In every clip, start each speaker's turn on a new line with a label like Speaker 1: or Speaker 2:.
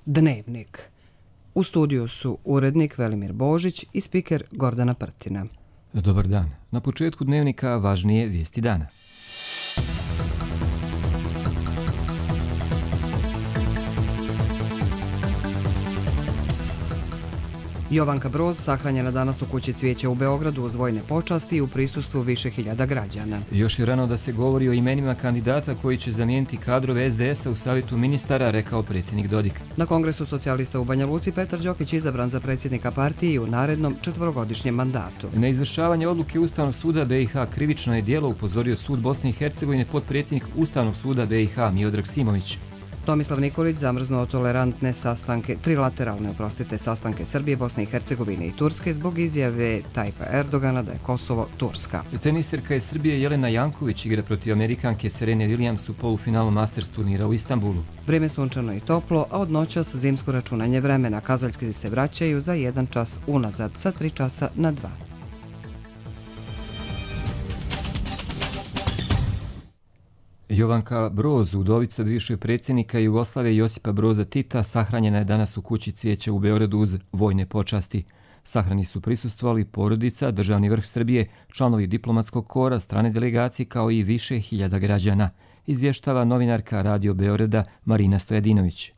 Speaker 1: Dnevnik. U studiju su urednik Velimir Božić i spiker Gordana Prtina.
Speaker 2: Dobar dan. Na početku Dnevnika važnije vijesti dana.
Speaker 1: Jovanka Broz sahranjena danas u kući Cvijeća u Beogradu uz vojne počasti i u prisustvu više hiljada građana.
Speaker 2: Još je rano da se govori o imenima kandidata koji će zamijeniti kadrove SDS-a u savjetu ministara, rekao predsjednik Dodik.
Speaker 1: Na Kongresu socijalista u Banja Luci Petar Đokić izabran za predsjednika partije i u narednom 4-godišnjem mandatu.
Speaker 2: Na izvršavanje odluke Ustavnog suda BiH krivično je djelo, upozorio sud Bosne i Hercegovine potpredsjednik Ustavnog suda BiH Miodrag Simović.
Speaker 1: Tomislav Nikolić zamrznuo tolerantne trilateralne sastanke Srbije, Bosne i Hercegovine i Turske zbog izjave Tajpa Erdogana da je Kosovo Turska.
Speaker 2: Teniserka iz Srbije Jelena Janković igra protiv Amerikanke Serene Williams u polufinalu Masters turnira u Istanbulu.
Speaker 1: Vrijeme sunčano i toplo, a od noćas zimsko računanje vremena. Kazaljski se vraćaju za 1 čas unazad, sa 3 časa na 2.
Speaker 2: Jovanka Broz, udovica bivšeg predsjednika Jugoslavije Josipa Broza Tita, sahranjena je danas u kući Cvijeća u Beogradu uz vojne počasti. Sahrani su prisustvovali porodica, državni vrh Srbije, članovi diplomatskog kora, strane delegacije kao i više hiljada građana, izvještava novinarka Radio Beograda Marina Stojadinović.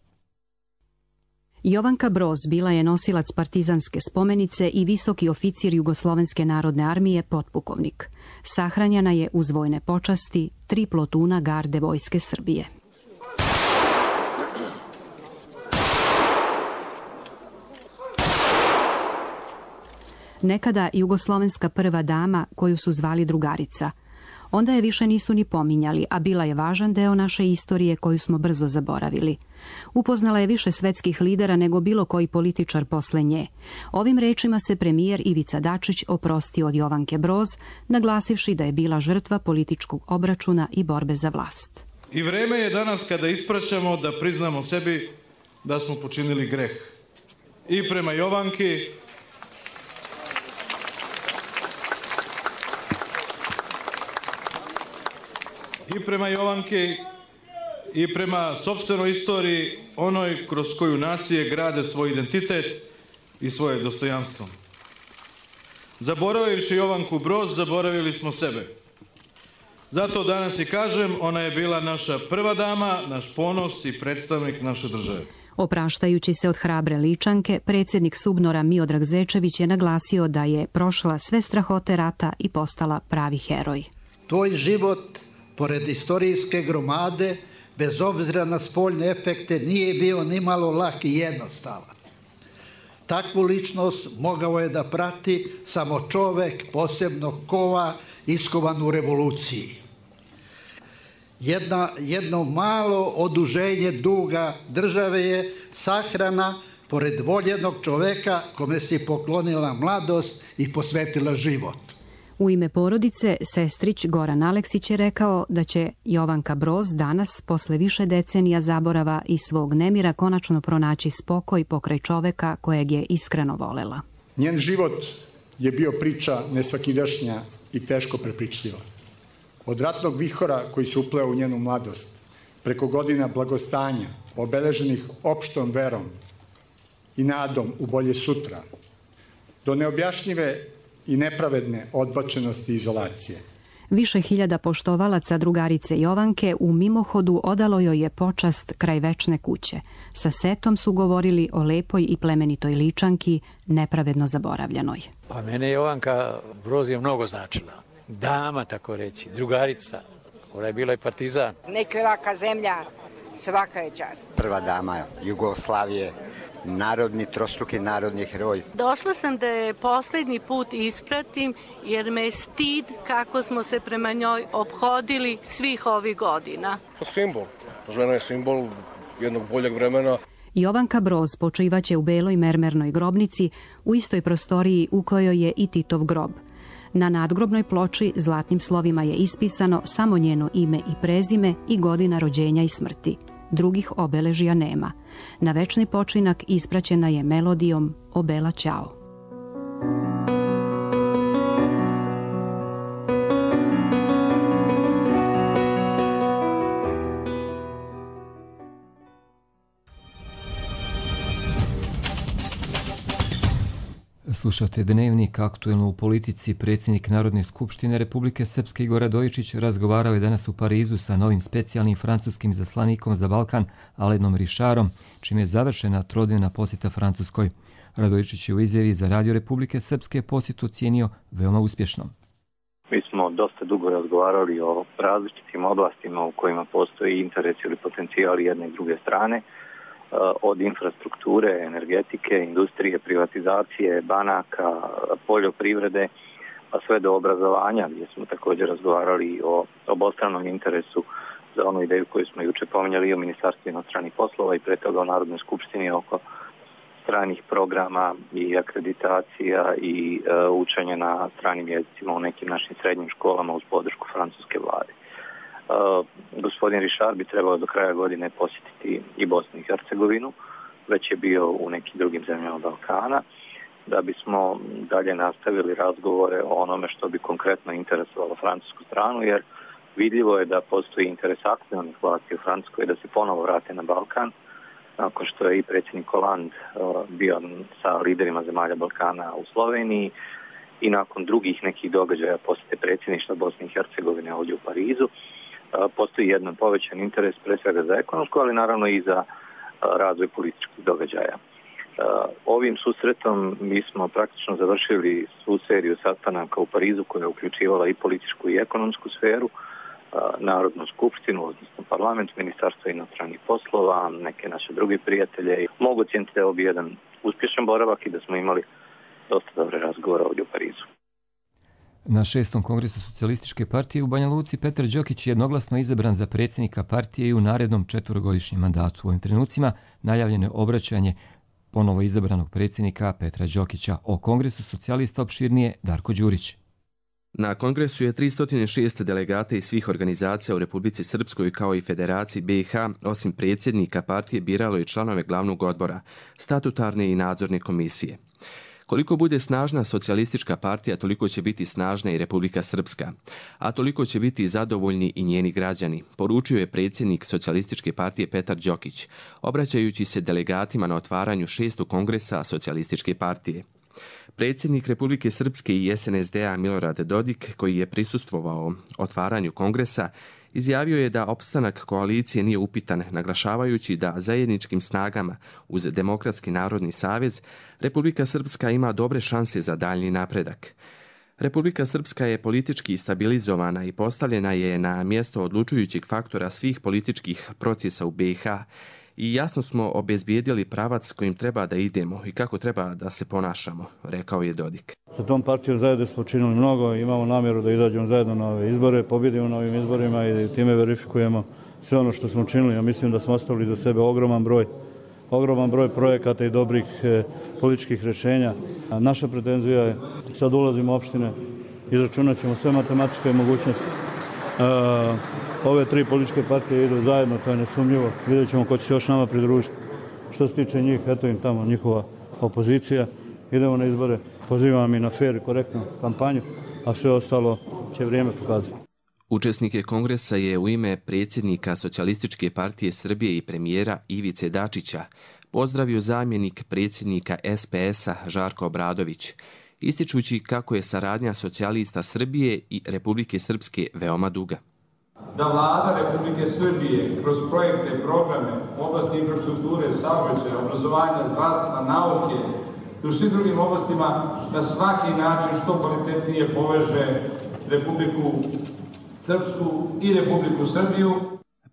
Speaker 3: Jovanka Broz bila je nosilac partizanske spomenice i visoki oficir Jugoslovenske narodne armije potpukovnik. Sahranjena je uz vojne počasti 3 plotuna garde vojske Srbije. Nekada jugoslovenska prva dama koju su zvali drugarica. Onda je više nisu ni pominjali, a bila je važan deo naše istorije koju smo brzo zaboravili. Upoznala je više svetskih lidera nego bilo koji političar posle nje. Ovim rečima se premijer Ivica Dačić oprostio od Jovanke Broz, naglasivši da je bila žrtva političkog obračuna i borbe za vlast.
Speaker 4: I vreme je danas kada ispraćamo da priznamo sebi da smo počinili greh. I prema Jovanki, i prema sopstvenoj istoriji, onoj kroz koju nacije grade svoj identitet i svoje dostojanstvo. Zaboravivši Jovanku Broz, zaboravili smo sebe. Zato danas i kažem, ona je bila naša prva dama, naš ponos i predstavnik naše države.
Speaker 3: Opraštajući se od hrabre Ličanke, predsjednik SUBNOR-a Miodrag Zečević je naglasio da je prošla sve strahote rata i postala pravi heroj.
Speaker 5: Tvoj život, pored istorijske gromade, bez obzira na spoljne efekte, nije bio nimalo lak i jednostavan. Takvu ličnost mogao je da prati samo čovek posebnog kova iskovan u revoluciji. Jedno malo oduženje duga države je sahrana pored voljenog čoveka kome si poklonila mladost i posvetila život.
Speaker 3: U ime porodice, sestrić Goran Aleksić je rekao da će Jovanka Broz danas, posle više decenija zaborava i svog nemira, konačno pronaći spokoj pokraj čoveka kojeg je iskreno volela.
Speaker 6: Njen život je bio priča nesvakidašnja i teško prepričljiva. Od ratnog vihora koji se upleo u njenu mladost, preko godina blagostanja, obeleženih opštom verom i nadom u bolje sutra, do neobjašnjive i nepravedne odbačenosti i izolacije.
Speaker 3: Više hiljada poštovalaca drugarice Jovanke u mimohodu odalo joj je počast kraj večne kuće. Sa setom su govorili o lepoj i plemenitoj Ličanki, nepravedno zaboravljanoj.
Speaker 7: Pa mene Jovanka Broz je mnogo značila. Dama, tako reći, drugarica. Ona je bila i partizan.
Speaker 8: Neka ovaka zemlja, svaka je čast.
Speaker 9: Prva dama Jugoslavije, trostruki narodni heroj.
Speaker 10: Došla sam da je posljednji put ispratim jer me je stid kako smo se prema njoj ophodili svih ovih godina.
Speaker 11: Simbol. Žena je simbol jednog boljeg vremena.
Speaker 3: Jovanka Broz počivaće u beloj mermernoj grobnici u istoj prostoriji u kojoj je i Titov grob. Na nadgrobnoj ploči zlatnim slovima je ispisano samo njeno ime i prezime i godina rođenja i smrti. Drugih obeležija nema. Na večni počinak ispraćena je melodijom O Bela Ćao.
Speaker 2: Slušate Dnevnik, aktuelno u politici. Predsjednik Narodne skupštine Republike Srpske Igor Radojičić razgovarao je danas u Parizu sa novim specijalnim francuskim izaslanikom za Balkan Alanom Richardom, čime je završena trodnevna posjeta Francuskoj. Radojičić je u izjavi za Radio Republike Srpske posjetu ocijenio veoma uspješnom.
Speaker 12: Mi smo dosta dugo razgovarali o različitim oblastima u kojima postoji interes ili potencijal jedne i druge strane, od infrastrukture, energetike, industrije, privatizacije, banaka, poljoprivrede, pa sve do obrazovanja, gdje smo također razgovarali o obostranom interesu za onu ideju koju smo juče pominjali i o Ministarstvu inostranih poslova i pre toga o Narodnoj skupštini oko stranih programa i akreditacija i učenja na stranim jezicima u nekim našim srednjim školama uz podršku francuske vlade. Gospodin Richard bi trebao do kraja godine posjetiti i Bosnu i Hercegovinu, već je bio u nekim drugim zemljama Balkana, da bismo dalje nastavili razgovore o onome što bi konkretno interesovalo francusku stranu, jer vidljivo je da postoji interes aktualnih vlasti u Francuskoj da se ponovo vrate na Balkan, nakon što je i predsjednik Hollande bio sa liderima zemalja Balkana u Sloveniji i nakon drugih nekih događaja posjete predsjedništva Bosne i Hercegovine ovdje u Parizu. Postoji jedan povećan interes pre svega za ekonomsko, ali naravno i za razvoj političkih događaja. Ovim susretom mi smo praktično završili svu seriju sastanaka u Parizu koja je uključivala i političku i ekonomsku sferu, Narodnu skupštinu, odnosno parlament, Ministarstvo inostranih poslova, neke naše druge prijatelje. Mogu ocijeniti da je ovo jedan uspješan boravak i da smo imali dosta dobre razgovore ovdje u Parizu.
Speaker 2: Na 6. kongresu Socijalističke partije u Banja Luci Petar Đokić je jednoglasno izabran za predsjednika partije i u narednom 4-godišnjem mandatu. U ovim trenucima najavljeno je obraćanje ponovo izabranog predsjednika Petra Đokića. O kongresu socijalista opširnije Darko Đurić.
Speaker 13: Na kongresu je 306 delegata iz svih organizacija u Republici Srpskoj kao i Federaciji BiH, osim predsjednika partije, biralo i članove glavnog odbora, statutarne i nadzorne komisije. Koliko bude snažna socijalistička partija, toliko će biti snažna i Republika Srpska, a toliko će biti zadovoljni i njeni građani, poručio je predsjednik Socijalističke partije Petar Đokić, obraćajući se delegatima na otvaranju 6. kongresa Socijalističke partije. Predsjednik Republike Srpske i SNSD-a Milorad Dodik, koji je prisustvovao otvaranju kongresa, izjavio je da opstanak koalicije nije upitan, naglašavajući da zajedničkim snagama uz Demokratski narodni savez Republika Srpska ima dobre šanse za daljnji napredak. Republika Srpska je politički stabilizovana i postavljena je na mjesto odlučujućeg faktora svih političkih procesa u BiH i jasno smo obezbijedili pravac kojim treba da idemo i kako treba da se ponašamo, rekao je Dodik.
Speaker 14: Sa tom partijom zajedno smo učinili mnogo, imamo namjeru da izađemo zajedno na ove izbore, pobjedimo na ovim izborima i time verifikujemo sve ono što smo učinili. Ja mislim da smo ostavili za sebe ogroman broj projekata i dobrih političkih rješenja. Naša pretenzija je, sad ulazimo u opštine, izračunat ćemo sve matematičke mogućnosti. Ove 3 političke partije idu zajedno, to je nesumnjivo. Vidjet ćemo ko će se još nama pridružiti. Što se tiče njih, eto im tamo njihova opozicija. Idemo na izbore, pozivam i na fer i korektnu kampanju, a sve ostalo će vrijeme pokazati.
Speaker 13: Učesnike kongresa je u ime predsjednika Socijalističke partije Srbije i premijera Ivice Dačića pozdravio zamjenik predsjednika SPS-a Žarko Obradović, ističući kako je saradnja socijalista Srbije i Republike Srpske veoma duga.
Speaker 15: Da vlada Republike Srbije kroz projekte, programe u oblasti infrastrukture, saobraćaja, obrazovanja, zdravstva, nauke i u svim drugim oblastima na svaki način što kvalitetnije poveže Republiku Srpsku i Republiku Srbiju.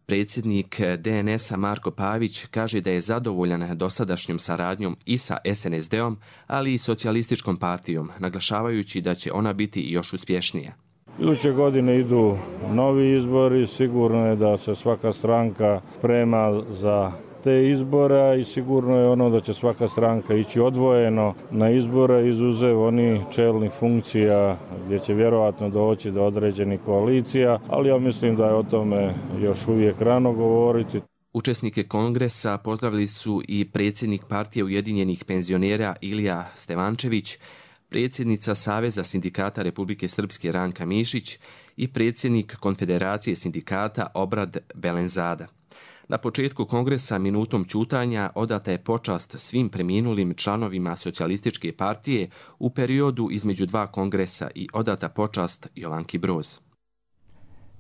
Speaker 13: Predsjednik DNS-a Marko Pavić kaže da je zadovoljan dosadašnjom saradnjom i sa SNSD-om, ali i socijalističkom partijom, naglašavajući da će ona biti još uspješnija.
Speaker 14: Iduće godine idu novi izbori, sigurno je da se svaka stranka sprema za te izbora i sigurno je ono da će svaka stranka ići odvojeno na izbore izuzev onih čelnih funkcija gdje će vjerojatno doći do određenih koalicija, ali ja mislim da je o tome još uvijek rano govoriti.
Speaker 13: Učesnike kongresa pozdravili su i predsjednik partije Ujedinjenih penzionera Ilija Stevančević, predsjednica Saveza sindikata Republike Srpske Ranka Mišić i predsjednik Konfederacije sindikata Obrad Belenzada. Na početku kongresa minutom ćutanja odata je počast svim preminulim članovima Socijalističke partije u periodu između dva kongresa i odata počast Jovanki Broz.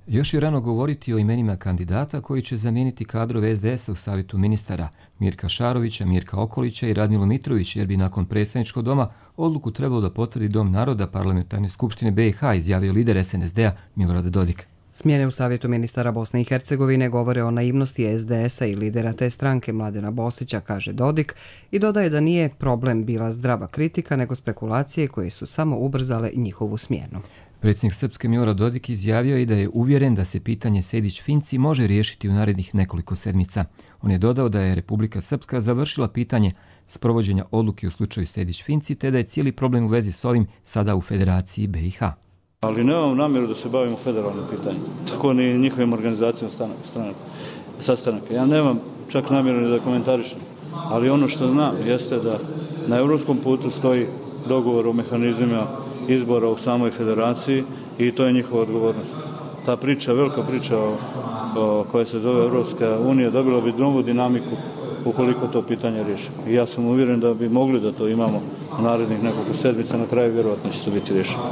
Speaker 2: Još je rano govoriti o imenima kandidata koji će zamijeniti kadrove SDS-a u savjetu ministara Mirka Šarovića, Mirka Okolića i Radmilu Mitrović, jer bi nakon predstavničkog doma odluku trebalo da potvrdi Dom naroda Parlamentarne skupštine BiH, izjavio lider SNSD-a Milorad Dodik.
Speaker 1: Smjene u savjetu ministara Bosne i Hercegovine govore o naivnosti SDS-a i lidera te stranke Mladena Bosića, kaže Dodik, i dodaje da nije problem bila zdrava kritika, nego spekulacije koje su samo ubrzale njihovu smjenu.
Speaker 2: Predsjednik Srpske Milorad Dodik izjavio i da je uvjeren da se pitanje Sejdić-Finci može riješiti u narednih nekoliko sedmica. On je dodao da je Republika Srpska završila pitanje sprovođenja odluke u slučaju Sejdić-Finci, te da je cijeli problem u vezi s ovim sada u Federaciji BiH.
Speaker 14: Ali nemam namjeru da se bavimo federalnim pitanjem, tako ni njihovim organizacijom sastanaka. Ja nemam čak namjeru ni da komentarišem, ali ono što znam jeste da na europskom putu stoji dogovor o mehanizmima izbora u samoj federaciji i to je njihova odgovornost. Ta priča, velika priča koja se zove Europska unija, dobila bi novu dinamiku ukoliko to pitanje riješi. I ja sam uvjeren da bi mogli da to imamo u narednih nekoliko sedmica, na kraju vjerojatno će to biti riješeno.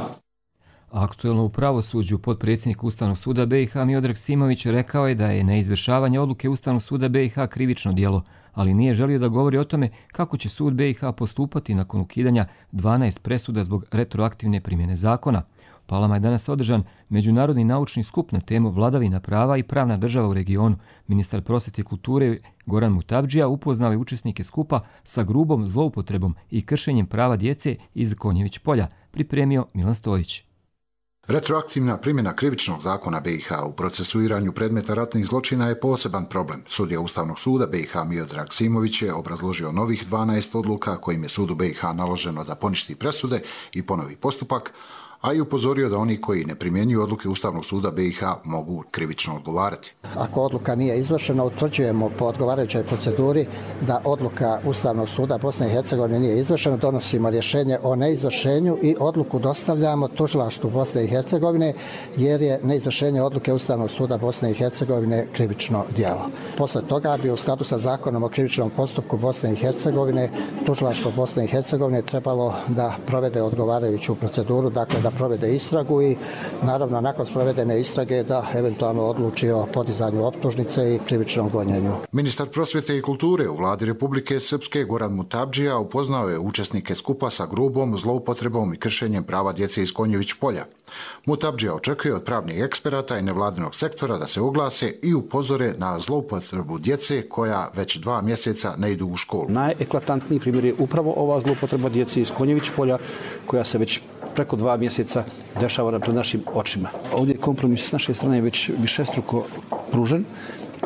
Speaker 2: Aktuelno u pravosuđu potpredsjednik Ustavnog suda BiH Miodrag Simović rekao je da je neizvršavanje odluke Ustavnog suda BiH krivično djelo, ali nije želio da govori o tome kako će sud BiH postupati nakon ukidanja 12 presuda zbog retroaktivne primjene zakona. U Palama je danas održan međunarodni naučni skup na temu vladavina prava i pravna država u regionu. Ministar prosvjete i kulture Goran Mutavdžija upoznao je učesnike skupa sa grubom zloupotrebom i kršenjem prava djece iz Konjević polja, pripremio Milan Stojić.
Speaker 16: Retroaktivna primjena krivičnog zakona BiH u procesuiranju predmeta ratnih zločina je poseban problem. Sudija Ustavnog suda BiH Miodrag Simović je obrazložio novih 12 odluka kojim je sudu BiH naloženo da poništi presude i ponovi postupak, a i upozorio da oni koji ne primjenjuju odluke Ustavnog suda BiH mogu krivično odgovarati.
Speaker 17: Ako odluka nije izvršena, utvrđujemo po odgovarajućoj proceduri da odluka Ustavnog suda Bosne i Hercegovine nije izvršena, donosimo rješenje o neizvršenju i odluku dostavljamo tužilaštvu Bosne i Hercegovine, jer je neizvršenje odluke Ustavnog suda Bosne i Hercegovine krivično djelo. Posle toga bi u skladu sa zakonom o krivičnom postupku Bosne i Hercegovine tužilaštvo Bosne i Hercegovine trebalo da provede odgovarajuću proceduru, dakle da provede istragu i naravno nakon sprovedene istrage da eventualno odluči o podizanju optužnice i krivičnom gonjenju.
Speaker 16: Ministar prosvjete i kulture u vladi Republike Srpske Goran Mutavdžija upoznao je učesnike skupa sa grubom zloupotrebom i kršenjem prava djece iz Konjević polja. Mutavdžija očekuje od pravnih eksperata i nevladinog sektora da se oglase i upozore na zloupotrebu djece koja već 2 mjeseca ne idu u školu.
Speaker 18: Najeklatantniji primjer je upravo ova zloupotreba djece iz Konjević polja koja se već preko 2 mjeseca dešava pred našim očima. Ovdje je kompromis s naše strane već višestruko pružen,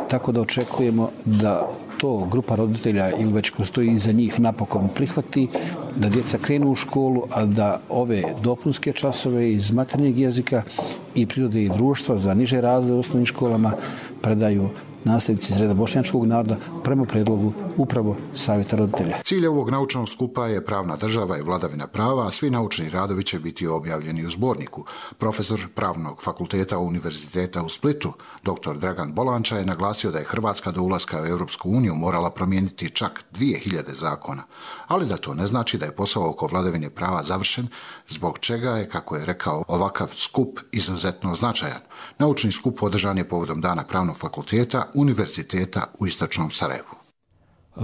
Speaker 18: tako da očekujemo da to grupa roditelja ili već ko stoji iza njih napokon prihvati, da djeca krenu u školu, a da ove dopunske časove iz maternjeg jezika i prirode i društva za niže razrede u osnovnim školama predaju nastavnici iz reda bošnjačkog naroda prema predlogu upravo Savjeta roditelja.
Speaker 16: Cilj ovog naučnog skupa je pravna država i vladavina prava, a svi naučni radovi će biti objavljeni u zborniku. Profesor Pravnog fakulteta Univerziteta u Splitu, dr. Dragan Bolanča, je naglasio da je Hrvatska do ulaska u Europsku uniju morala promijeniti čak 2000 zakona, ali da to ne znači da je posao oko vladavine prava završen, zbog čega je, kako je rekao, ovakav skup izuzetno značajan. Naučni skup održan je povodom Dana Pravnog fakulteta Univerziteta u Istočnom Sarajevu.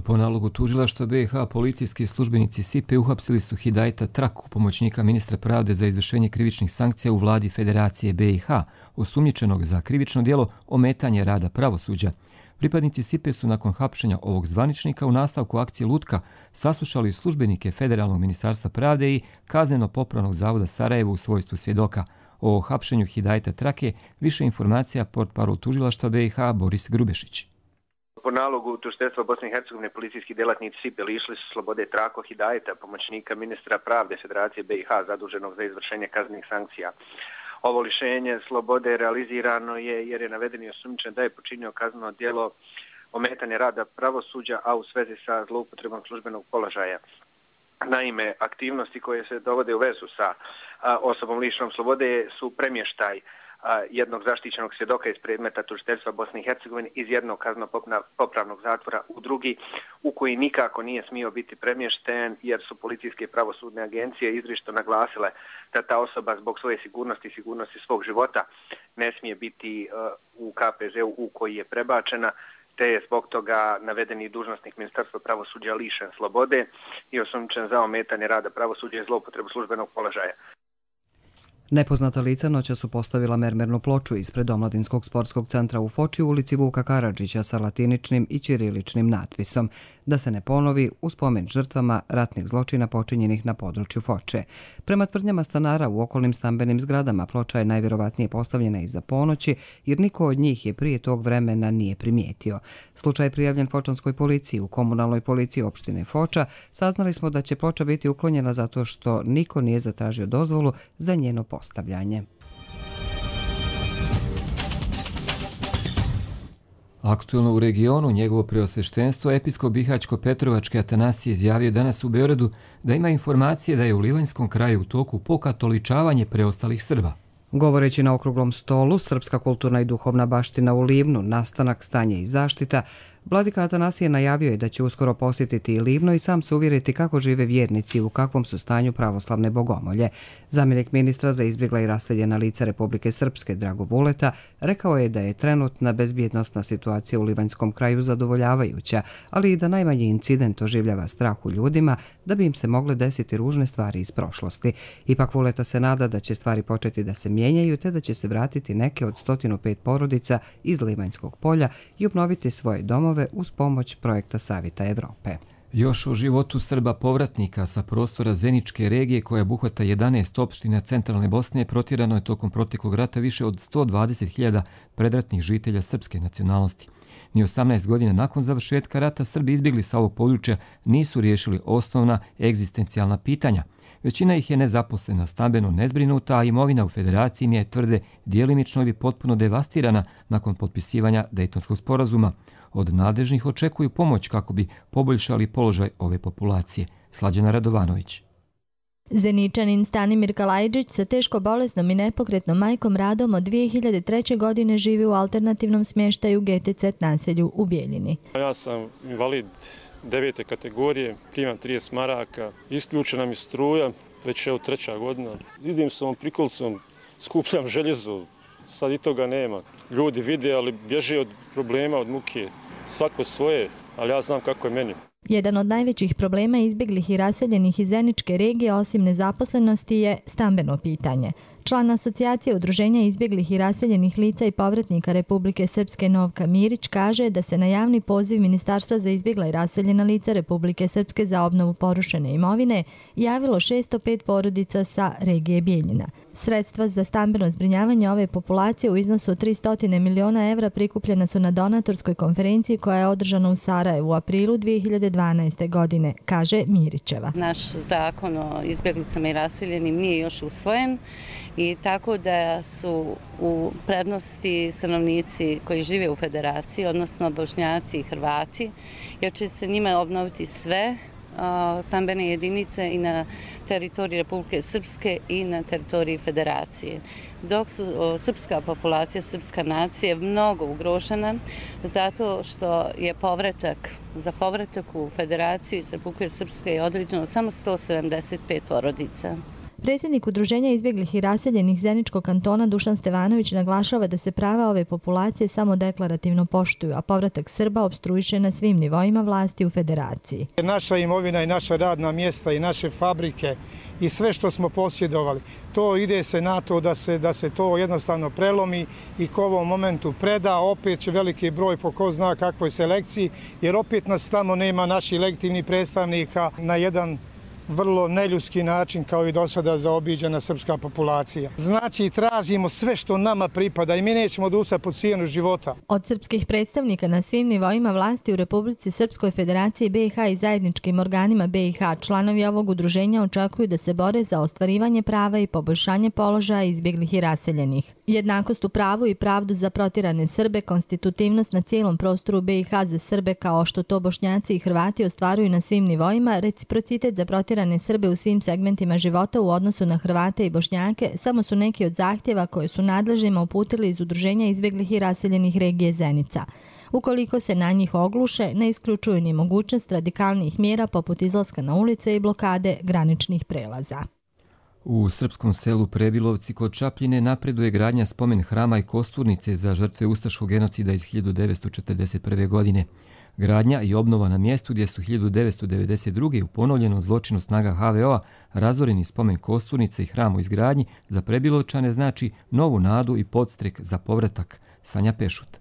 Speaker 2: Po nalogu tužilaštva BiH policijski službenici SIPE uhapsili su Hidajeta Traku, pomoćnika ministra pravde za izvršenje krivičnih sankcija u vladi Federacije BiH, osumnjičenog za krivično djelo ometanje rada pravosuđa. Pripadnici SIPE su nakon hapšenja ovog zvaničnika u nastavku akcije Lutka saslušali službenike Federalnog ministarstva pravde i Kazneno-popravnog zavoda Sarajevo u svojstvu svjedoka. O hapšenju Hidajeta Trake više informacija portparol tužilaštva BiH Boris Grubešić.
Speaker 19: Po nalogu tužiteljstva Bosne i Hercegovine policijski djelatnici SIPE lišili su slobode Trako Hidajeta, pomoćnika ministra pravde Federacije BiH zaduženog za izvršenje kaznenih sankcija. Ovo lišenje slobode realizirano je jer je navedeni osumnjičen da je počinio kazneno djelo ometanja rada pravosuđa, a u svezi sa zloupotrebom službenog položaja. Naime, aktivnosti koje se dovode u vezu sa osobom lišenom slobode su premještaj jednog zaštićenog svjedoka iz predmeta tužiteljstva Bosne i Hercegovine iz jednog kazneno-popravnog zatvora u drugi, u koji nikako nije smio biti premješten jer su policijske i pravosudne agencije izričito naglasile da ta osoba zbog svoje sigurnosti i sigurnosti svog života ne smije biti u KPZ-u u koji je prebačena, te je zbog toga navedeni dužnosnik Ministarstva pravosuđa lišen slobode i osumnjičen za ometanje rada pravosuđa i zloupotrebu službenog položaja.
Speaker 1: Nepoznata lica noća su postavila mermernu ploču ispred Omladinskog sportskog centra u Foči u ulici Vuka Karadžića sa latiničnim i ćiriličnim natpisom da se ne ponovi u spomen žrtvama ratnih zločina počinjenih na području Foče. Prema tvrdnjama stanara u okolnim stambenim zgradama ploča je najvjerovatnije postavljena iza ponoći jer niko od njih je prije tog vremena nije primijetio. Slučaj je prijavljen fočanskoj policiji. U komunalnoj policiji opštine Foča saznali smo da će ploča biti uklonjena zato što niko nije zatražio dozvolu za njeno postavljanje.
Speaker 2: Aktualno u regionu njegovo preosveštenstvo episkop Bihaćko-Petrovački Atanasije izjavio danas u Beogradu da ima informacije da je u Livanjskom kraju u toku pokatoličavanje preostalih Srba.
Speaker 1: Govoreći na okruglom stolu Srpska kulturna i duhovna baština u Livnu, nastanak, stanje i zaštita, vladika Atanasije najavio je da će uskoro posjetiti i Livno i sam se uvjeriti kako žive vjernici i u kakvom su stanju pravoslavne bogomolje. Zamjenik ministra za izbjegla i raseljena lica Republike Srpske Drago Vuleta rekao je da je trenutna bezbjednosna situacija u Livanjskom kraju zadovoljavajuća, ali i da najmanji incident oživljava strah u ljudima da bi im se mogle desiti ružne stvari iz prošlosti. Ipak Vuleta se nada da će stvari početi da se mijenjaju te da će se vratiti neke od 105 porodica iz Livanjskog polja i obnoviti svoje domove uz pomoć projekta Savjeta Evrope.
Speaker 2: Još o životu Srba povratnika sa prostora Zeničke regije koja obuhvata 11 opština centralne Bosne protjerano je tokom proteklog rata više od 120.000 predratnih žitelja srpske nacionalnosti. Ni 18 godina nakon završetka rata Srbi izbjegli sa ovog područja nisu riješili osnovna egzistencijalna pitanja. Većina ih je nezaposlena, stambeno nezbrinuta, a imovina u federaciji im je tvrde djelimično ili potpuno devastirana nakon potpisivanja Dejtonskog sporazuma. Od nadležnih očekuju pomoć kako bi poboljšali položaj ove populacije. Slađana Radovanović.
Speaker 20: Zeničanin Stanimir Kalajđić sa teško bolesnom i nepokretnom majkom Radom od 2003. godine živi u alternativnom smještaju GTZ naselju u Bijeljini.
Speaker 21: Ja sam invalid 9. kategorije, primam 30 maraka, isključena mi struja, već evo 3. godina. Idem s ovom prikolicom, skupljam željezo, sad i toga nema. Ljudi vide, ali bježe od problema, od muke, svako svoje, ali ja znam kako je meni.
Speaker 20: Jedan od najvećih problema izbjeglih i raseljenih iz Zeničke regije, osim nezaposlenosti, je stambeno pitanje. Član asocijacije udruženja izbjeglih i raseljenih lica i povratnika Republike Srpske Novka Mirić kaže da se na javni poziv Ministarstva za izbjegla i raseljena lica Republike Srpske za obnovu porušene imovine javilo 605 porodica sa regije Bijeljina. Sredstva za stambeno zbrinjavanje ove populacije u iznosu od 300 miliona evra prikupljena su na donatorskoj konferenciji koja je održana u Sarajevu u aprilu 2012. godine, kaže Mirićeva.
Speaker 22: Naš zakon o izbjeglicama i raseljenim nije još usvojen i tako da su u prednosti stanovnici koji žive u federaciji, odnosno Bošnjaci i Hrvati, jer će se njima obnoviti sve stambene jedinice i na teritoriji Republike Srpske i na teritoriji federacije. Dok su srpska populacija, srpska nacija mnogo ugrožena zato što je za povratak u federaciju iz Republike Srpske je određeno samo 175 porodica.
Speaker 20: Predsjednik Udruženja izbjeglih i raseljenih Zeničkog kantona Dušan Stevanović naglašava da se prava ove populacije samo deklarativno poštuju, a povratak Srba opstruiše na svim nivoima vlasti u federaciji.
Speaker 23: Naša imovina i naša radna mjesta i naše fabrike i sve što smo posjedovali, to ide se na to da se to jednostavno prelomi i ko ovom momentu preda, opet će veliki broj po ko zna kakvoj selekciji, jer opet nas tamo nema naših legitimnih predstavnika na jedan vrlo neljudski način kao i do sada zaobiđena srpska populacija. Znači, tražimo sve što nama pripada i mi nećemo odustati pod cijenu života.
Speaker 20: Od srpskih predstavnika na svim nivoima vlasti u Republici Srpskoj Federaciji BiH i zajedničkim organima BiH članovi ovog udruženja očekuju da se bore za ostvarivanje prava i poboljšanje položaja izbjeglih i raseljenih. Jednakost u pravu i pravdu za protjerane Srbe, konstitutivnost na cijelom prostoru BiH za Srbe kao što to Bošnjaci i Hrvati ostvaruju na svim nivoima, reciprocitet za protjerane Srbe u svim segmentima života u odnosu na Hrvate i Bošnjake samo su neki od zahtjeva koje su nadležnima uputili iz Udruženja izbjeglih i raseljenih regije Zenica. Ukoliko se na njih ogluše, ne isključuju ni mogućnost radikalnih mjera poput izlaska na ulice i blokade graničnih prelaza.
Speaker 2: U srpskom selu Prebilovci kod Čapljine napreduje gradnja spomen hrama i kosturnice za žrtve ustaškog genocida iz 1941. godine. Gradnja i obnova na mjestu gdje su 1992. u ponovljenom zločinu snaga HVO-a razoreni spomen kosturnice i hram u izgradnji za Prebilovčane znači novu nadu i podstrek za povratak. Sanja Pešut.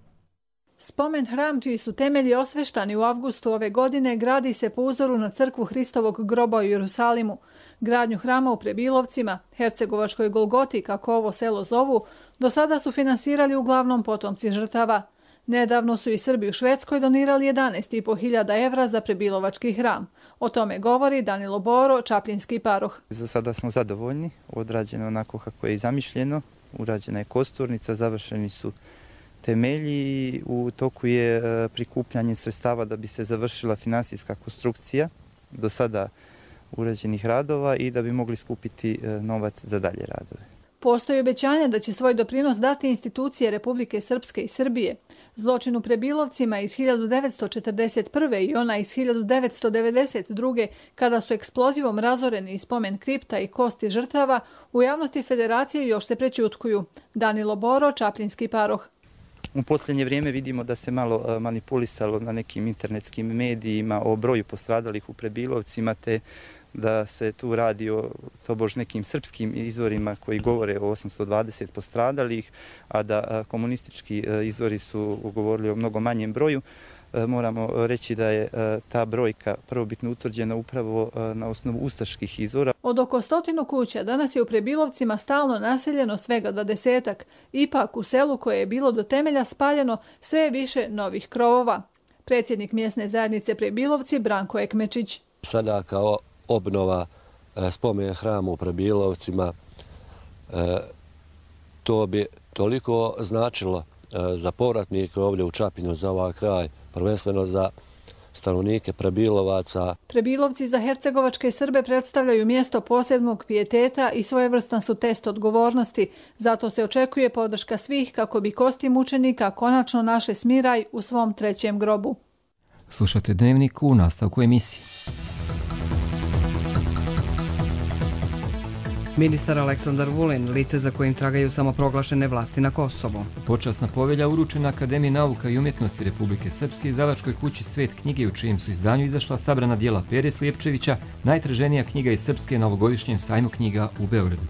Speaker 4: Spomen hram, čiji su temelji osveštani u avgustu ove godine, gradi se po uzoru na crkvu Hristovog groba u Jerusalimu. Gradnju hrama u Prebilovcima, Hercegovačkoj Golgoti, kako ovo selo zovu, do sada su finansirali uglavnom potomci žrtava. Nedavno su i Srbi u Švedskoj donirali 11.500 evra za Prebilovački hram. O tome govori Danilo Boro, čapljinski paroh.
Speaker 5: Za sada smo zadovoljni, odrađeno onako kako je i zamišljeno, urađena je kosturnica, završeni su temelji, u toku je prikupljanje sredstava da bi se završila finansijska konstrukcija do sada urađenih radova i da bi mogli skupiti novac za dalje radove.
Speaker 4: Postoji obećanje da će svoj doprinos dati institucije Republike Srpske i Srbije. Zločin u Prebilovcima iz 1941. i ona iz 1992. kada su eksplozivom razoreni i spomen kripta i kosti žrtava, u javnosti federacije još se prećutkuju. Danilo Boro, čapljinski paroh.
Speaker 5: U posljednje vrijeme vidimo da se malo manipulisalo na nekim internetskim medijima o broju postradalih u Prebilovcima, te da se tu radi o tobož nekim srpskim izvorima koji govore o 820 postradalih, a da komunistički izvori su govorili o mnogo manjem broju. Moramo reći da je ta brojka prvobitno utvrđena upravo na osnovu ustaških izvora.
Speaker 4: Od oko 100 kuća danas je u Prebilovcima stalno naseljeno svega 20-ak. Ipak u selu koje je bilo do temelja spaljeno sve je više novih krovova. Predsjednik mjesne zajednice Prebilovci Branko Ekmečić.
Speaker 6: Sada kao obnova spomen hrama u Prebilovcima, to bi toliko značilo za povratnike ovdje u Čapljinu, za ovaj kraj, prvenstveno za stanovnike Prebilovaca.
Speaker 4: Prebilovci za hercegovačke Srbe predstavljaju mjesto posebnog pijeteta i svojevrstan su test odgovornosti. Zato se očekuje podrška svih kako bi kosti mučenika konačno našle smiraj u svom trećem grobu.
Speaker 2: Slušate Dnevnik u nastavku emisije.
Speaker 1: Ministar Aleksandar Vulin, lice za kojim tragaju samoproglašene vlasti na Kosovo.
Speaker 2: Počasna povelja uručena Akademiji nauka i umjetnosti Republike Srpske i izdavačkoj kući Svet knjige, u čijem su izdanju izašla sabrana dijela Pere Slijepčevića, najtraženija knjiga iz Srpske na ovogodišnjem sajmu knjiga u Beogradu.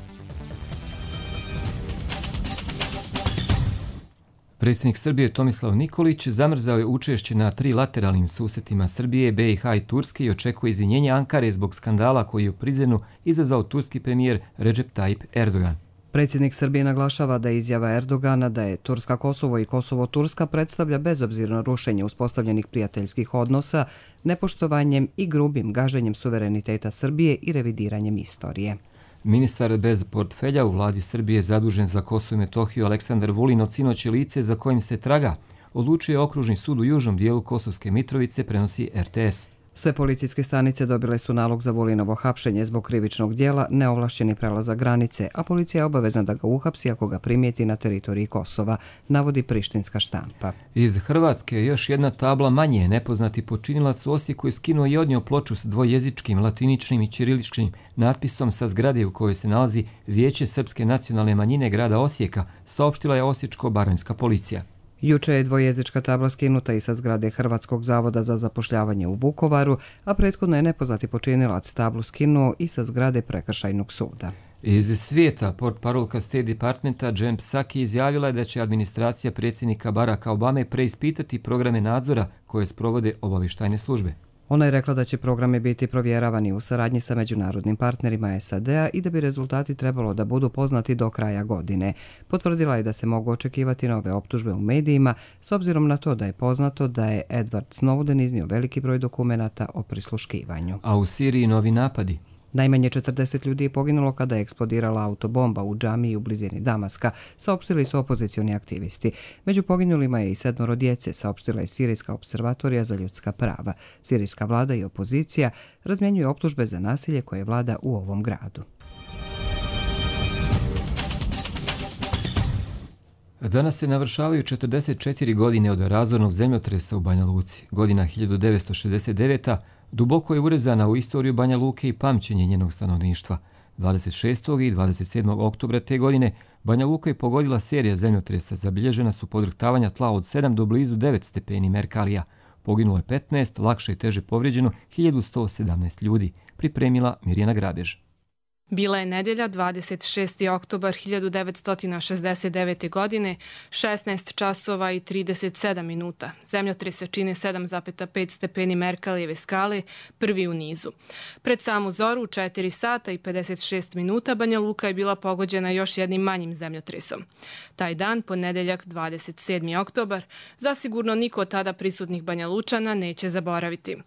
Speaker 2: Predsjednik Srbije Tomislav Nikolić zamrzao je učešće na 3 lateralnim susretima Srbije, BiH i Turske i očekuje izvinjenje Ankare zbog skandala koji je u Prizrenu izazvao turski premijer Recep Tayyip Erdogan.
Speaker 1: Predsjednik Srbije naglašava da je izjava Erdogana da je Turska Kosovo i Kosovo Turska predstavlja bezobzirno rušenje uspostavljenih prijateljskih odnosa, nepoštovanjem i grubim gaženjem suvereniteta Srbije i revidiranjem istorije.
Speaker 2: Ministar bez portfelja u vladi Srbije zadužen za Kosovo i Metohiju Aleksandar Vulin od sinoć lice za kojim se traga odlučio je okružni sud u južnom dijelu Kosovske Mitrovice, prenosi RTS.
Speaker 1: Sve policijske stanice dobile su nalog za Vulinovo hapšenje zbog krivičnog dijela neovlašćeni prelazak granice, a policija je obavezna da ga uhapsi ako ga primijeti na teritoriji Kosova, navodi prištinska štampa.
Speaker 2: Iz Hrvatske još jedna tabla manje. Nepoznati počinilac u Osijeku je skinuo i odnio ploču s dvojezičkim, latiničnim i ćiriličkim natpisom sa zgrade u kojoj se nalazi Vijeće srpske nacionalne manjine grada Osijeka, saopštila je osječko-baranjska policija.
Speaker 1: Juče je dvojezička tabla skinuta i sa zgrade Hrvatskog zavoda za zapošljavanje u Vukovaru, a prethodno je nepoznati počinilac tablu skinuo i sa zgrade Prekršajnog suda.
Speaker 2: Iz svijeta, portparolka State Departmenta Jen Psaki izjavila je da će administracija predsjednika Baracka Obame preispitati programe nadzora koje sprovode obavještajne službe.
Speaker 1: Ona je rekla da će programi biti provjeravani u saradnji sa međunarodnim partnerima SAD-a i da bi rezultati trebalo da budu poznati do kraja godine. Potvrdila je da se mogu očekivati nove optužbe u medijima, s obzirom na to da je poznato da je Edward Snowden iznio veliki broj dokumenata o prisluškivanju.
Speaker 2: A u Siriji novi napadi.
Speaker 1: Najmanje 40 ljudi je poginulo kada je eksplodirala autobomba u džamiji u blizini Damaska, saopštili su opozicioni aktivisti. Među poginulima je i 7 djece, saopštila je Sirijska observatorija za ljudska prava. Sirijska vlada i opozicija razmjenjuju optužbe za nasilje koje vlada u ovom gradu.
Speaker 2: Danas se navršavaju 44 godine od razornog zemljotresa u Banja Luci. Godina 1969. duboko je urezana u istoriju Banja Luke i pamćenje njenog stanovništva. 26. i 27. oktobra te godine Banja Luka je pogodila serija zemljotresa. Zabilježena su podrhtavanja tla od 7 do blizu 9 stepeni Merkalija. Poginulo je 15, lakše i teže povrijeđeno 1117 ljudi, pripremila Mirjana Grabež.
Speaker 7: Bila je nedjelja 26. oktobar 1969. godine, 16 časova i 37 minuta. Zemljotrese čine 7,5 stepeni Merkalijeve skale, prvi u nizu. Pred samu zoru u 4 sata i 56 minuta Banja Luka je bila pogođena još jednim manjim zemljotresom. Taj dan, ponedjeljak 27. oktobar, zasigurno niko od tada prisutnih Banja Lučana neće zaboraviti.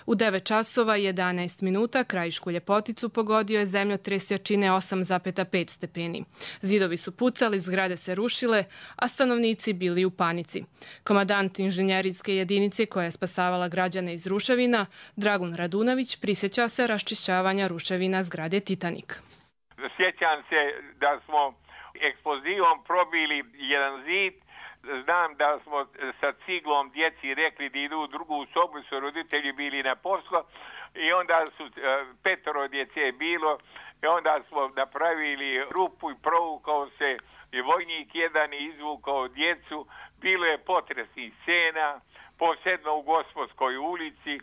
Speaker 7: U 9 časova i 11 minuta krajišku Ljepoticu pogodio je zemljotres jačine 8,5 stepeni. Zidovi su pucali, zgrade se rušile, a stanovnici bili u panici. Komandant inženjerijske jedinice koja je spasavala građane iz ruševina, Dragun Radunović, prisjeća se raščišćavanja ruševina zgrade Titanik.
Speaker 8: Sjećam se da smo eksplozivom probili jedan zid. Znam da smo sa ciglom djeci rekli da idu u drugu sobu, su roditelji bili na poslu i onda su 5 djece bilo i onda smo napravili rupu i provukao se i vojnik jedan i izvukao djecu. Bilo je potresnih scena, posebno u Gospodskoj ulici.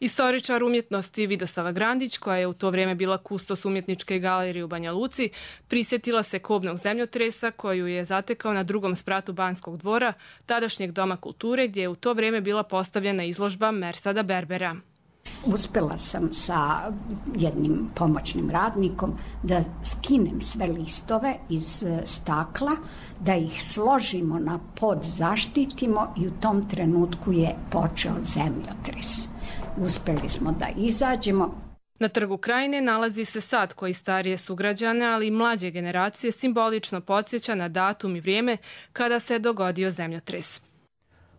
Speaker 7: Istoričar umjetnosti Vidosava Grandić, koja je u to vrijeme bila kustos umjetničke galerije u Banja Luci, prisjetila se kobnog zemljotresa koju je zatekao na drugom spratu Banskog dvora, tadašnjeg doma kulture, gdje je u to vrijeme bila postavljena izložba Mersada Berbera.
Speaker 9: Uspjela sam sa jednim pomoćnim radnikom da skinem sve listove iz stakla, da ih složimo na pod, zaštitimo i u tom trenutku je počeo zemljotres. Uspjeli smo da izađemo.
Speaker 7: Na Trgu Krajine nalazi se sad koji starije sugrađane, ali i mlađe generacije simbolično podsjeća na datum i vrijeme kada se dogodio zemljotres.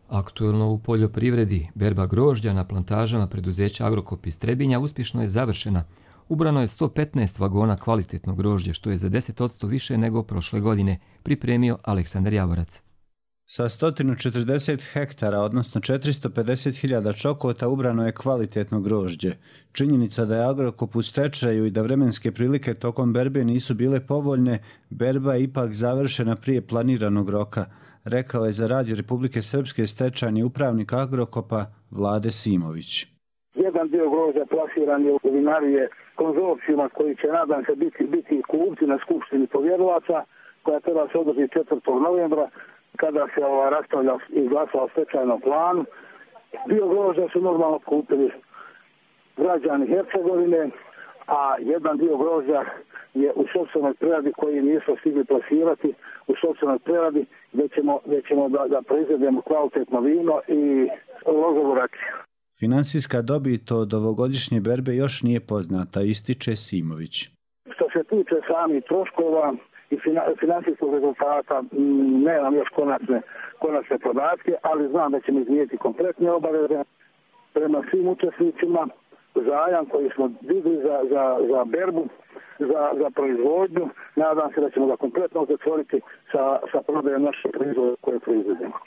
Speaker 2: Aktuelno u poljoprivredi, berba grožđa na plantažama preduzeća Agrokop iz Trebinja uspješno je završena. Ubrano je 115 vagona kvalitetnog grožđa, što je za 10% više nego prošle godine, pripremio Aleksandar Javorac.
Speaker 24: Sa 140 hektara, odnosno 450.000 čokota, ubrano je kvalitetno grožđe. Činjenica da je Agrokop u stečaju i da vremenske prilike tokom berbe nisu bile povoljne, berba je ipak završena prije planiranog roka, rekao je za Radio Republike Srpske stečajni upravnik Agrokopa Vlade Simović.
Speaker 25: Jedan dio grožđa plasiran je u vinarije konzorcijuma koji će, nadam se, biti kupci na skupštini povjerilaca, koja treba se održati 4. novembra, kada se raspravlja i glasa o stečajnom planu. Dio grožđa su normalno kupili građani Hercegovine, a jedan dio grožđa je u sopstvenoj preradi koji nisu stigli plasirati u sopstvenoj preradi, gdje ćemo da proizvedemo kvalitetno vino i lozovu rakiju.
Speaker 24: Finansijska dobit od ovogodišnje berbe još nije poznata, ističe Simović.
Speaker 25: Što se tiče samih troškova i finansijskog rezultata, nemam još konačne podatke, ali znam da ćemo iznijeti kompletne obaveze prema svim učesnicima, zajam koji smo digli za berbu, za proizvodnju. Nadam se da ćemo ga kompletno zatvoriti sa prodajom naših proizvoda koje proizvodimo.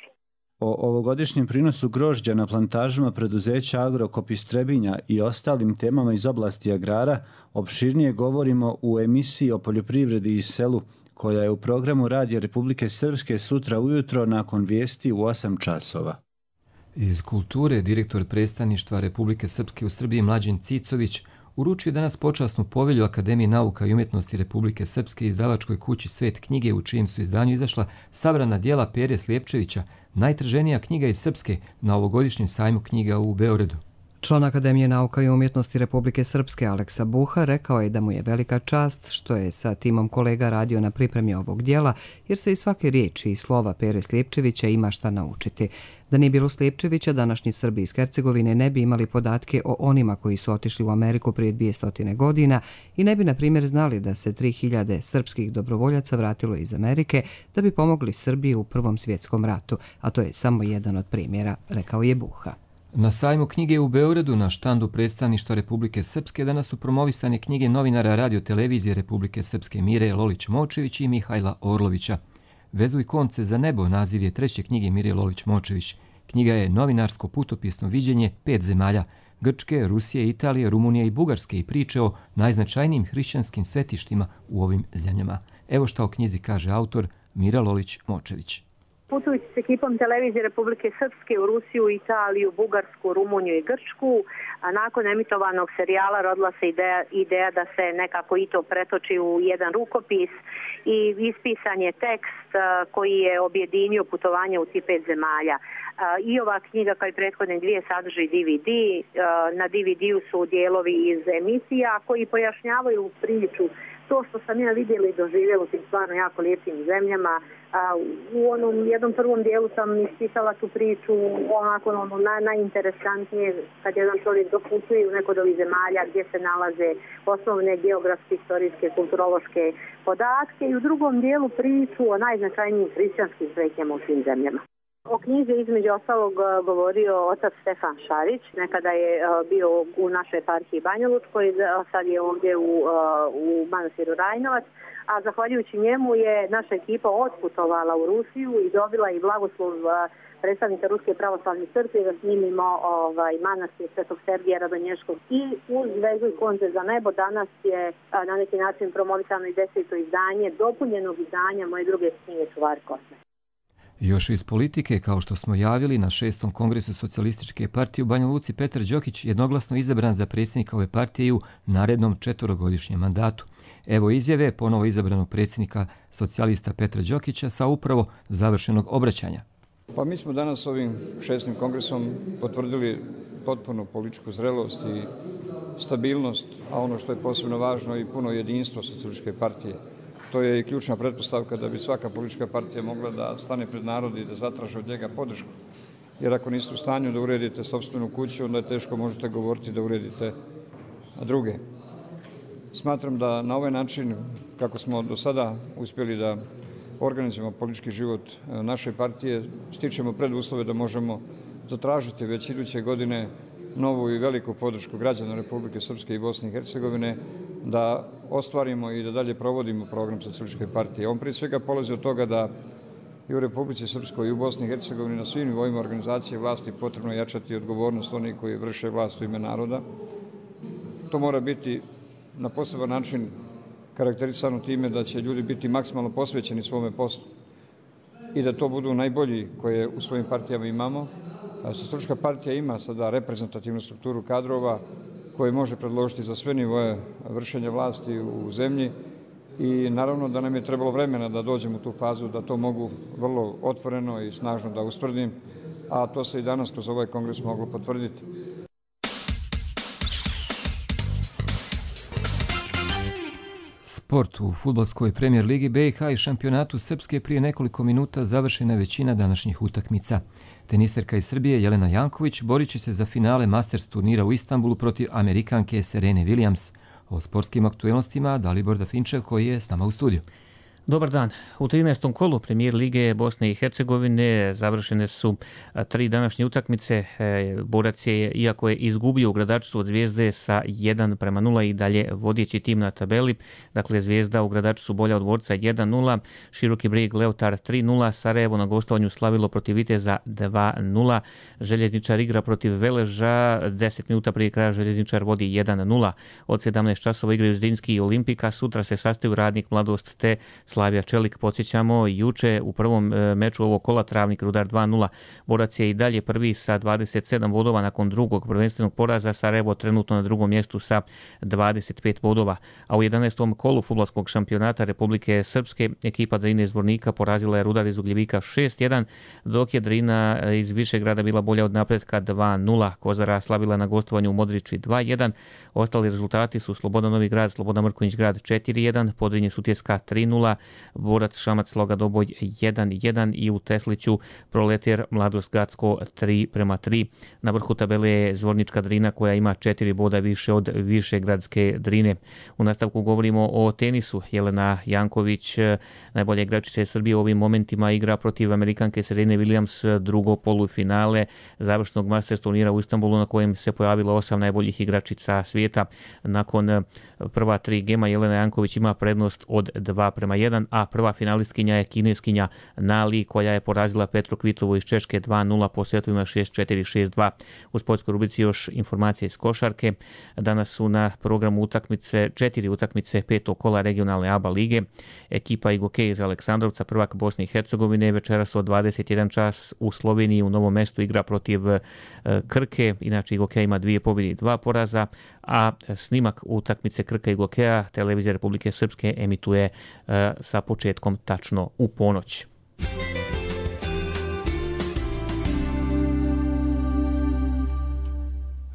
Speaker 24: O ovogodišnjem prinosu grožđa na plantažama preduzeća Agrokop iz Trebinja i ostalim temama iz oblasti agrara opširnije govorimo u emisiji o poljoprivredi i selu, koja je u programu Radija Republike Srpske sutra ujutro nakon vijesti u 8 časova.
Speaker 2: Iz kulture direktor predstavništva Republike Srpske u Srbiji Mlađen Cicović uručio danas počasnu povelju Akademije nauka i umjetnosti Republike Srpske izdavačkoj kući Svet knjige, u čijem su izdanju izašla sabrana djela Pere Slijepčevića, najtraženija knjiga iz Srpske na ovogodišnjem sajmu knjiga u Beogradu.
Speaker 1: Član Akademije nauka i umjetnosti Republike Srpske Aleksa Buha rekao je da mu je velika čast što je sa timom kolega radio na pripremi ovog dijela, jer se iz svake riječi i slova Pere Slijepčevića ima šta naučiti. Da nije bilo Slijepčevića, današnji Srbi iz Hercegovine ne bi imali podatke o onima koji su otišli u Ameriku prije 200 godina i ne bi, na primjer, znali da se 3000 srpskih dobrovoljaca vratilo iz Amerike da bi pomogli Srbiji u Prvom svjetskom ratu, a to je samo jedan od primjera, rekao je Buha.
Speaker 2: Na sajmu knjige u Beogradu na štandu predstavništva Republike Srpske danas su promovisane knjige novinara Radio-televizije Republike Srpske Mire Lolić-Močević i Mihajla Orlovića. Vezuj konce za nebo naziv je treće knjige Mire Lolić-Močević. Knjiga je novinarsko putopisno viđenje 5 zemalja – Grčke, Rusije, Italije, Rumunije i Bugarske i priče o najznačajnijim hrišćanskim svetištima u ovim zemljama. Evo šta o knjizi kaže autor Mira Lolić-Močević.
Speaker 3: Putujući s ekipom televizije Republike Srpske u Rusiju, Italiju, Bugarsku, Rumuniju i Grčku, a nakon emitovanog serijala rodila se ideja da se nekako i to pretoči u jedan rukopis i ispisan je tekst koji je objedinio putovanje u tih 5 zemalja. I ova knjiga kao i prethodne dvije sadrži DVD. Na DVD-u su dijelovi iz emisija koji pojašnjavaju priču. To što sam ja vidjela i doživjela u tim stvarno jako lijepim zemljama. U onom jednom prvom dijelu sam ispisala tu priču onako najinteresantnije kad jedan čovjek doputuje u neko od ovih zemalja gdje se nalaze osnovne geografske, historijske, kulturološke podatke i u drugom dijelu priču o najznačajnijim hrišćanskim svetnjama u svim zemljama. O knjizi između ostalog govorio otac Stefan Šarić, nekada je bio u našoj eparhiji Banja Lučkoj, sad je ovdje u manastiru Rajnovac, a zahvaljujući njemu je naša ekipa otputovala u Rusiju i dobila i blagoslov predstavnika Ruske pravoslavne crkve da snimimo manastir Svetog Sergija Radonješkog. I uz Vezuj konce za nebo danas je na neki način promovisano i 10. izdanje dopunjenog izdanja moje druge knjige Čuvari kosme.
Speaker 2: Još iz politike, kao što smo javili, na 6. kongresu Socijalističke partije u Banja Luci Petar Đokić jednoglasno izabran za predsjednika ove partije u narednom 4-godišnjem mandatu. Evo izjave ponovo izabranog predsjednika socijalista Petra Đokića sa upravo završenog obraćanja.
Speaker 10: Pa mi smo danas ovim 6. kongresom potvrdili potpuno političku zrelost i stabilnost, a ono što je posebno važno i puno jedinstvo Socijalističke partije. To je i ključna pretpostavka da bi svaka politička partija mogla da stane pred narod i da zatraže od njega podršku. Jer ako niste u stanju da uredite sopstvenu kuću, onda je teško možete govoriti da uredite druge. Smatram da na ovaj način, kako smo do sada uspjeli da organizujemo politički život naše partije, stičemo preduslove da možemo zatražiti već iduće godine novu i veliku podršku građana Republike Srpske i Bosne i Hercegovine, da ostvarimo i da dalje provodimo program Socijalističke partije. On prije svega polazi od toga da i u Republici Srpskoj i u Bosni i Hercegovini na svim nivoima organizacije vlasti potrebno jačati odgovornost onih koji vrše vlast u ime naroda. To mora biti na poseban način karakterisano time da će ljudi biti maksimalno posvećeni svome poslu i da to budu najbolji koje u svojim partijama imamo. Socijalistička partija ima sada reprezentativnu strukturu kadrova koje može predložiti za sve nivoje vršenja vlasti u zemlji i naravno da nam je trebalo vremena da dođemo u tu fazu da to mogu vrlo otvoreno i snažno da ustvrdim, a to se i danas kroz ovaj kongres moglo potvrditi.
Speaker 2: Sport u fudbalskoj premijer ligi BiH i šampionatu Srpske prije nekoliko minuta završena je većina današnjih utakmica. Teniserka iz Srbije Jelena Janković borit će se za finale Masters turnira u Istanbulu protiv Amerikanke Serene Williams. O sportskim aktuelnostima Dalibor Dafinčev koji je s nama u studiju.
Speaker 11: Dobar dan. U 13. kolu premijer lige Bosne i Hercegovine završene su 3 današnje utakmice. Borac je, iako je izgubio u Gradačcu od Zvijezde sa 1:0 i dalje vodeći tim na tabeli. Dakle, Zvijezda u Gradačcu bolja od Dvorca 1:0, Široki Brijeg Leotar 3:0, Sarajevo na gostovanju slavilo protiv Viteza 2:0, Željezničar igra protiv Veleža, 10 minuta prije kraja Željezničar vodi 1:0. Od 17 časova igraju Zrinski i Olimpika, sutra se sastaju Radnik, Mladost te Slavija Čelik. Podsjećamo, juče u prvom meču ovog kola Travnik Rudar 2-0. Borac je i dalje prvi sa 27 bodova nakon drugog prvenstvenog poraza. Sarajevo trenutno na drugom mjestu sa 25 bodova. A u 11. kolu fudbalskog šampionata Republike Srpske ekipa Drine Zvornika porazila je Rudar iz Ugljevika 6-1, dok je Drina iz Višegrada bila bolja od napretka 2-0. Kozara slavila na gostovanju u Modriči 2-1. Ostali rezultati su Sloboda Novi Grad, Sloboda Mrkonjić Grad 4-1, Podrinje Sutjeska 3-0, Borac Šamac Sloga Doboj 1-1 i u Tesliću Proletar Mladost Gacko 3-3. Na vrhu tabele je Zvornička Drina koja ima 4 boda više od Višegradske Drine. U nastavku govorimo o tenisu. Jelena Janković, najbolja igračica Srbije u ovim momentima, igra protiv Amerikanke Serene Williams drugo polufinale završnog Masters turnira u Istanbulu na kojem se pojavilo 8 najboljih igračica svijeta. Nakon prva 3 gema Jelena Janković ima prednost od 2-1, a prva finalistkinja je kineskinja Nali koja je porazila Petru Kvitovu iz Češke 2-0 po setovima 6-4, 6-2. U sportskoj rubrici još informacije iz košarke. Danas su na programu utakmice 4 utakmice 5. kola regionalne ABA lige. Ekipa Igokej iz Aleksandrovca, prvak Bosne i Hercegovine, večeras od 21 čas u Sloveniji u Novom Mestu igra protiv Krke. Inače Igokej ima 2 pobjede i 2 poraza, a snimak utakmice Krka Igokeja Televizija Republike Srpske emituje sa početkom tačno u ponoć.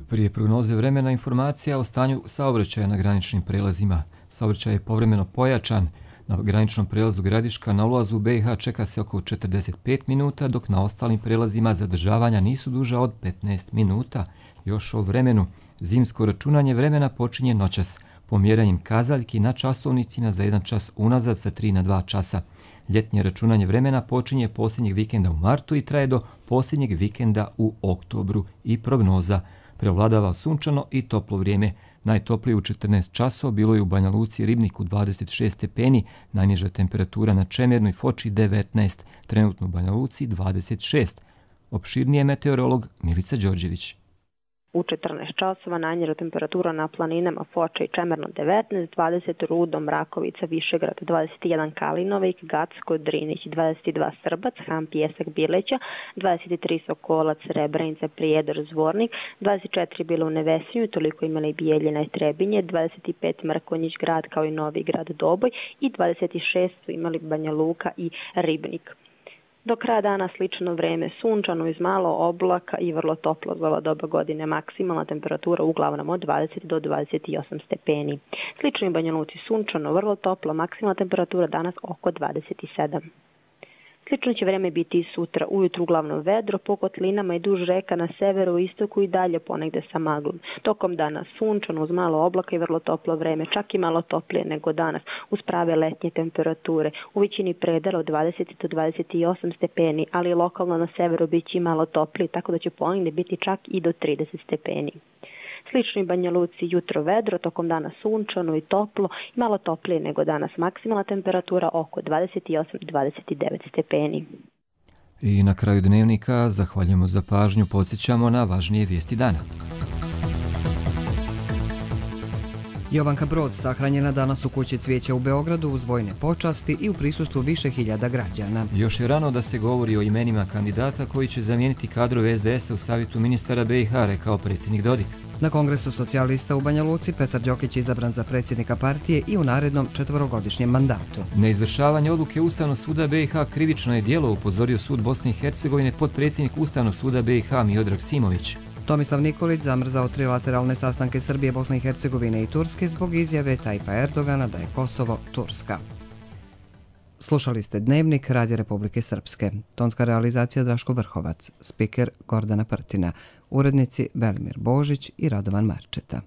Speaker 2: Prije prognoze vremena informacija o stanju saobraćaja na graničnim prelazima. Saobraćaj je povremeno pojačan. Na graničnom prelazu Gradiška na ulazu u BiH čeka se oko 45 minuta, dok na ostalim prelazima zadržavanja nisu duža od 15 minuta. Još o vremenu. Zimsko računanje vremena počinje noćas, pomjeranjem kazaljki na časovnicima za 1 čas unazad sa 3 na 2 časa. Ljetnje računanje vremena počinje posljednjeg vikenda u martu i traje do posljednjeg vikenda u oktobru i prognoza. Prevladava sunčano i toplo vrijeme. Najtoplije u 14 časova bilo je u Banja Luci i Ribniku 26 stepeni, najniža temperatura na Čemernu i Foči 19, trenutno u Banja Luci 26. Opširnije meteorolog Milica Đorđević.
Speaker 12: U 14 časova najniža temperatura na planinama Foča i Čemerno 19, 20 Rudo, Mrakovica, Višegrad, 21 Kalinovik, Gacko, Drinić, 22 Srbac, Ham, Pjesak, Bileća, 23 Sokolac, Srebrenica, Prijedor, Zvornik, 24 bilo u Nevesinju, toliko imali Bijeljina i Trebinje, 25 Mrkonjić Grad kao i Novi Grad Doboj i 26 su imali Banja Luka i Ribnik. Do kraja dana slično vreme, sunčano iz malo oblaka i vrlo toplo za ova doba godine, maksimalna temperatura uglavnom od 20 do 28 stepeni. Slično i Banja Luci sunčano, vrlo toplo, maksimalna temperatura danas oko 27. Slično će vreme biti i sutra, ujutru uglavnom vedro, po kotlinama i duž reka na severu i istoku i dalje ponegde sa maglom. Tokom dana sunčano uz malo oblaka i vrlo toplo vreme, čak i malo toplije nego danas, uz prave letnje temperature. U većini predela od 20 do 28 stepeni, ali lokalno na severu bit će malo toplije, tako da će ponegde biti čak i do 30 stepeni. Slično i Banja Luci jutro vedro, tokom dana sunčano i toplo, i malo toplije nego danas, maksimalna temperatura oko 28-29 stepeni.
Speaker 2: I na kraju dnevnika zahvaljujemo za pažnju, podsjećamo na važnije vijesti dana.
Speaker 1: Jovanka Broz sahranjena danas u kući Cvijeća u Beogradu uz vojne počasti i u prisustvu više hiljada građana.
Speaker 2: Još je rano da se govori o imenima kandidata koji će zamijeniti kadrove SDS-a u Savjetu ministara BiH, rekao predsjednik Dodik.
Speaker 1: Na Kongresu socijalista u Banja Luci Petar Đokić izabran za predsjednika partije i u narednom 4-godišnjem mandatu.
Speaker 2: Neizvršavanje odluke Ustavnog suda BiH krivično je djelo, upozorio sud Bosne i Hercegovine potpredsjednik Ustavnog suda BiH Miodrag Simović.
Speaker 1: Tomislav Nikolić zamrzao trilateralne sastanke Srbije, Bosne i Hercegovine i Turske zbog izjave Tajipa Erdogana da je Kosovo Turska. Slušali ste Dnevnik Radija Republike Srpske. Tonska realizacija Draško Vrhovac, spiker Gordana Prtina, urednici Velimir Božić i Radovan Marčeta.